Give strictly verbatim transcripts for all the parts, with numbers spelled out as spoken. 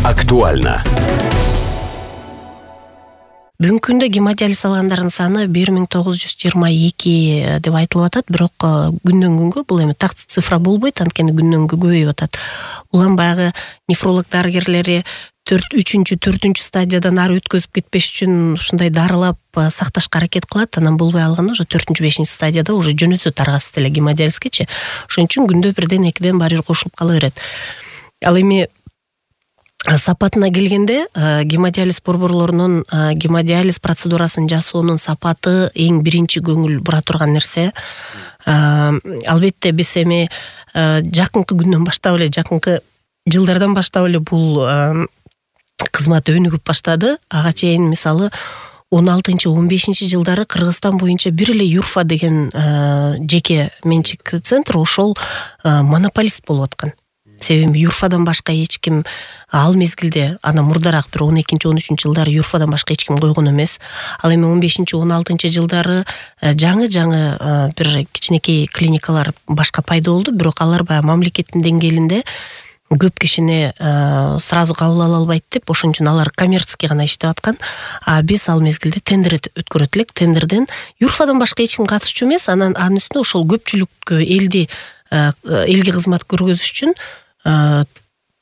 Актуально. Бүгүнкү күндө гемодиализ алгандардын саны бир миң тогуз жүз жыйырма эки деп айтылып атат, бирок күндөн күнгө бул эми такты цифра болбойт, анткени күндөн күнгө көбөйүп атат. Улам баягы нефролог дарыгерлери үчүнчү, төртүнчү стадиядан ары өткөзүп кетпеш үчүн ушундай дарылап сакташка аракет кылат. Анан болбой алганда уже төртүнчү, бешинчи стадияда уже жөнөтөт аргасыз эле гемодиализгечи. Ошон үчүн күндө бирден, экиден баары бир кошулуп кала берет. Ал эми сапатына келгенде, гемодиализ борборлорунун гемодиализ процедурасын жасоонун сапаты эң биринчи көңүл бура турган нерсе. Албетте биз эми жакынкы күндөн баштап эле, жакынкы жылдардан баштап эле бул кызмат өнүгүп баштады. Ага чейин мисалы он алтынчы, он бешинчи жылдары Кыргызстан боюнча бир эле Юрфа деген жеке менчик центр ошол монополист болуп аткан. Себеби Юрфадан башка эч ким ал мезгилде, ана мурдараак бир он экинчи, он үчүнчү жылдары Юрфадан башка эч ким койгон эмес. Ал эми он бешинчи, он алтынчы жылдары жаңы-жаңы бир кичинекей клиникалар башка пайда болду, бирок алар баягы мамлекеттин деңгээлинде көп кишини сразу кабыл ала албайт деп, ошон үчүн алар коммерций гана иштеп аткан. А биз ал мезгилде тендер өткөрөт элек. Тендерден Юрфадан башка эч ким катышчу эмес, анан анын үстүнө ошол көпчүлүккө элди элге кызмат көргөзүш үчүн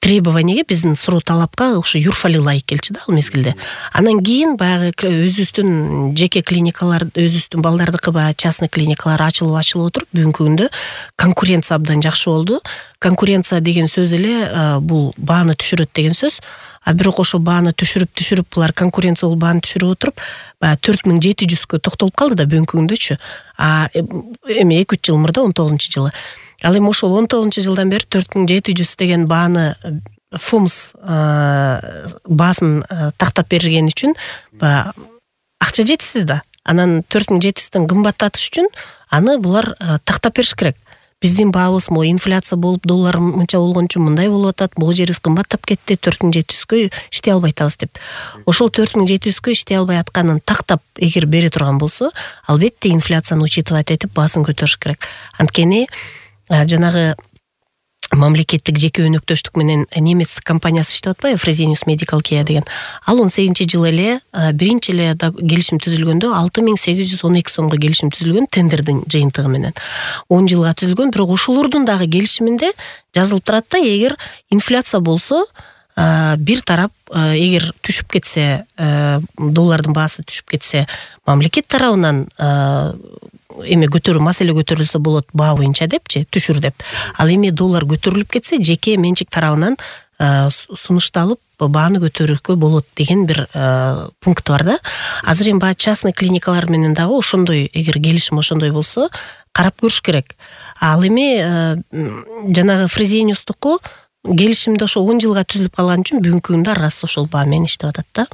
требованиеге, биздин суроо талапка ошо Юрфали ылайык келчү да ал мезгилде. Анан кийин баягы өзүбүздүн жеке клиникалар, өзүбүздүн балдардыкы баягы частный клиникалар ачылып ачылып отуруп, бүгүнкү күндө конкуренция абдан жакшы болду. Конкуренция деген сөз эле бул бааны түшүрөт деген сөз. А бирок ошо бааны түшүрүп түшүрүп булар конкуренция болуп бааны түшүрүп отуруп, баягы төрт миң жети жүзгө токтолуп калды да бүгүнкү күндөчү. А эми эки үч жыл мурда он тогузунчу жылы. Ал эми ошол он тогузунчу жылдан бери төрт миң жети жүз деген бааны ФОМС баасын тактап берген үчүн акча жетишсиз да. Анан төрт миң жети жүздөн кымбаттатыш үчүн аны булар тактап бериш керек. Биздин баабыз мо инфляция болуп, доллар мынча болгон үчүн мындай болуп атат, могу жерибиз кымбаттап кетти, төрт миң жети жүзгө иштей албай атабыз деп. Ошол төрт миң жети жүзгө иштей албай атканын тактап эгер бере турган болсо, албетте инфляцияны учитывать этип баасын көтөрүш керек. Анткени жанагы мамлекеттик жеке өнөктөштүк менен немец компаниясы иштеп атпайбы, Fresenius Medical Care деген. Ал он сегизинчи жылы эле биринчи эле келишим түзүлгөндө алты миң сегиз жүз он эки сомго келишим түзүлгөн тендердин жыйынтыгы менен. он жылга түзүлгөн, бирок ошолордун дагы келишиминде жазылып турат да, эгер инфляция болсо, бир тарап эгер түшүп кетсе, доллардын баасы түшүп кетсе, мамлекет тарабынан эми көтөрүү маселе көтөрүлсө болот баа боюнча депчи, түшүр деп. Ал эми доллар көтөрүлүп кетсе, жеке менчик тарабынан сунушталып бааны көтөрүүгө болот деген бир пункт бар да. Азыр эми баягы частный клиникалар менен дагы ошондой, эгер келишим ошондой болсо, карап көрүш керек. Ал эми жанагы Fresenius'туку келишимде ошо он жылга түзүлүп калган үчүн бүгүнкү күндө аргасыз ошол баа менен иштеп атат да.